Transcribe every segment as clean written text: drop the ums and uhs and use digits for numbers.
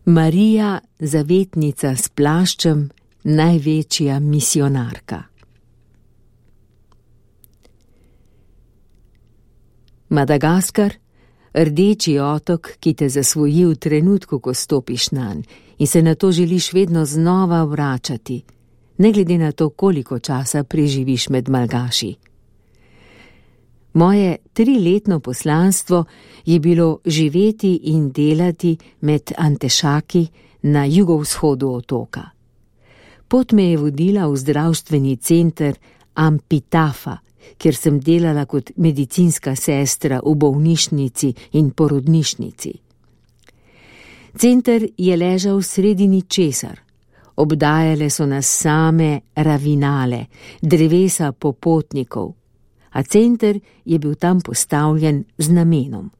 Marija, zavetnica s plaščem, največja misionarka. Madagaskar, rdeči otok, ki te zasvoji v trenutku, ko stopiš nanj in se na to želiš vedno znova vračati, ne glede na to, koliko časa preživiš med malgaši. Moje 3-letno poslanstvo je bilo živeti in delati med Antešaki na jugovzhodu otoka. Pot me je vodila v zdravstveni center Ampitafa, kjer sem delala kot medicinska sestra v bolnišnici in porodnišnici. Center je ležal sredi ničesar. Obdajale so nas same ravinale, drevesa popotnikov, a center je bil tam postavljen z namenom.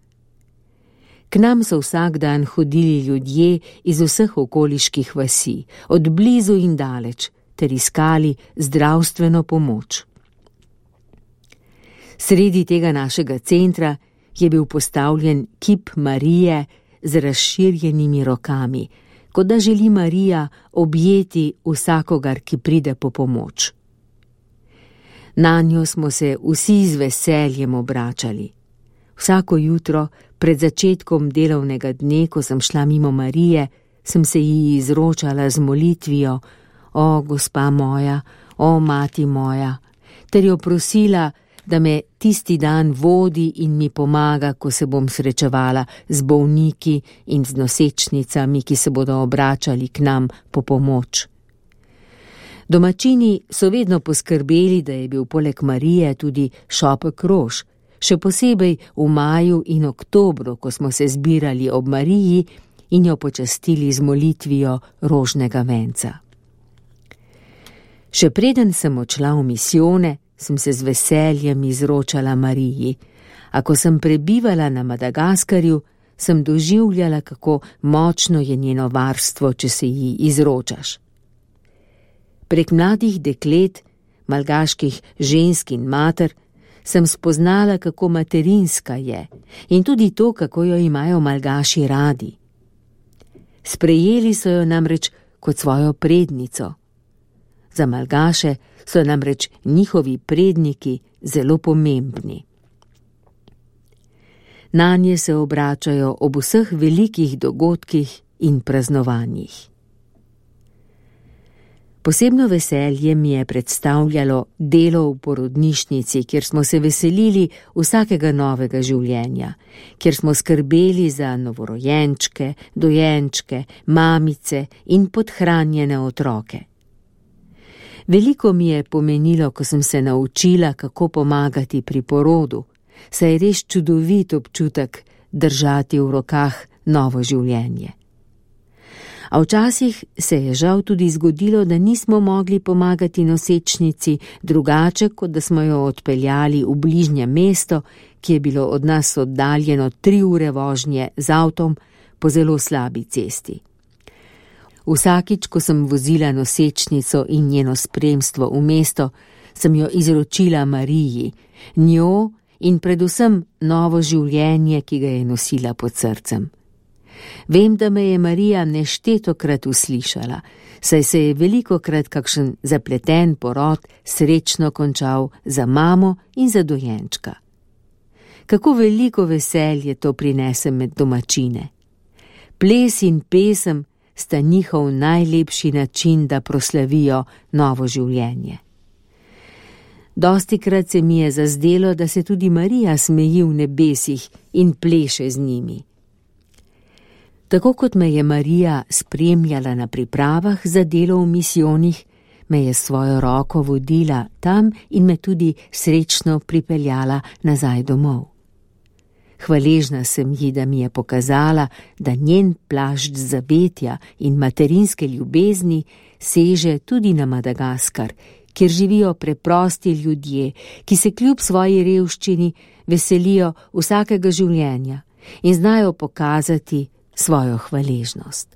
K nam so vsak dan hodili ljudje iz vseh okoliških vasi, od blizu in daleč, ter iskali zdravstveno pomoč. Sredi tega našega centra je bil postavljen kip Marije z razširjenimi rokami, kot da želi Marija objeti vsakogar, ki pride po pomoč. Nanjo smo se vsi z veseljem obračali. Vsako jutro, pred začetkom delovnega dne, ko sem šla mimo Marije, sem se ji izročala z molitvijo: O, gospa moja, o, mati moja, ter jo prosila, da me tisti dan vodi in mi pomaga, ko se bom srečevala z bolniki in z nosečnicami, ki se bodo obračali k nam po pomoč. Domačini so vedno poskrbeli, da je bil poleg Marije tudi šopek rož, še posebej v maju in oktobru, ko smo se zbirali ob Mariji in jo počastili z molitvijo rožnega venca. Še preden sem odšla v misijone, sem se z veseljem izročala Mariji, a ko sem prebivala na Madagaskarju, sem doživljala, kako močno je njeno varstvo, če se ji izročaš. Prek mladih deklet, malgaških žensk in mater, sem spoznala, kako materinska je in tudi to, kako jo imajo malgaši radi. Sprejeli so jo namreč kot svojo prednico. Za malgaše so namreč njihovi predniki zelo pomembni. Nanje se obračajo ob vseh velikih dogodkih in praznovanjih. Posebno veselje mi je predstavljalo delo v porodnišnici, kjer smo se veselili vsakega novega življenja, kjer smo skrbeli za novorojenčke, dojenčke, mamice in podhranjene otroke. Veliko mi je pomenilo, ko sem se naučila, kako pomagati pri porodu, saj je res čudovit občutek držati v rokah novo življenje. A včasih se je žal tudi zgodilo, da nismo mogli pomagati nosečnici drugače, kot da smo jo odpeljali v bližnje mesto, ki je bilo od nas oddaljeno 3 ure vožnje z avtom po zelo slabi cesti. Vsakič, ko sem vozila nosečnico in njeno spremstvo v mesto, sem jo izročila Mariji, njo in predvsem novo življenje, ki ga je nosila pod srcem. Vem, da me je Marija neštetokrat uslišala, saj se je velikokrat kakšen zapleten porod srečno končal za mamo in za dojenčka. Kako veliko veselje to prinese med domačine. Ples in pesem sta njihov najlepši način, da proslavijo novo življenje. Dostikrat se mi je zazdelo, da se tudi Marija smeji v nebesih in pleše z njimi. Tako kot me je Marija spremljala na pripravah za delo v misijonih, me je svojo roko vodila tam in me tudi srečno pripeljala nazaj domov. Hvaležna sem ji, da mi je pokazala, da njen plašč zavetja in materinske ljubezni seže tudi na Madagaskar, kjer živijo preprosti ljudje, ki se kljub svoji revščini veselijo vsakega življenja in znajo pokazati svojo hvaležnost.